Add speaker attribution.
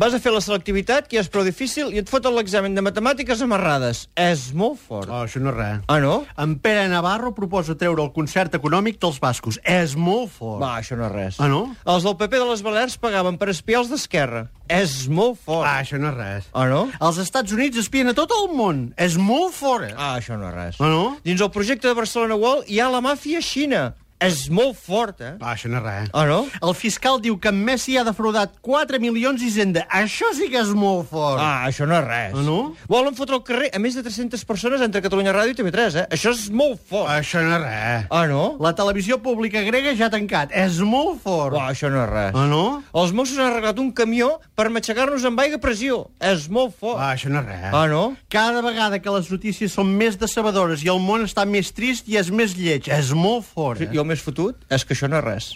Speaker 1: Vas a fer la selectivitat, que ja és prou difícil, i et foten l'examen de matemàtiques amarrades. És molt fort.
Speaker 2: Oh, això no és res.
Speaker 1: Ah, no?
Speaker 2: En Pere Navarro proposa treure el concert econòmic dels bascos. És molt fort.
Speaker 1: Va, això no és res.
Speaker 2: Ah, no?
Speaker 1: Els del PP de les Balears pagaven per espiar els d'Esquerra. És molt fort.
Speaker 2: Ah, això no és res.
Speaker 1: Ah, no?
Speaker 2: Els Estats Units espien a tot el món. És molt fort.
Speaker 1: Ah, això no és res.
Speaker 2: Ah, no?
Speaker 1: Dins el projecte de Barcelona World hi ha la màfia xina. És molt fort, eh?
Speaker 2: Ah, això no és res.
Speaker 1: Ah, no?
Speaker 2: El fiscal diu que en Messi ha defraudat 4 milions d'Hisenda. Això sí que és molt fort.
Speaker 1: Ah, això no és res.
Speaker 2: Ah, no?
Speaker 1: Volen fotre al carrer a més de 300 persones entre Catalunya Ràdio i TV3, eh? Això és molt fort.
Speaker 2: Això no és res.
Speaker 1: Ah, no?
Speaker 2: La televisió pública grega ja ha tancat. És molt fort.
Speaker 1: Ah, això no és res.
Speaker 2: Ah, no?
Speaker 1: Els Mossos han arreglat un camió per matxacar-nos amb aigua a pressió. És molt fort.
Speaker 2: Ah, això no és res.
Speaker 1: Ah, no?
Speaker 2: Cada vegada que les notícies són més decebedores i el món està més trist i és més lleig. És molt fort,
Speaker 1: I el més fotut és que això no és res.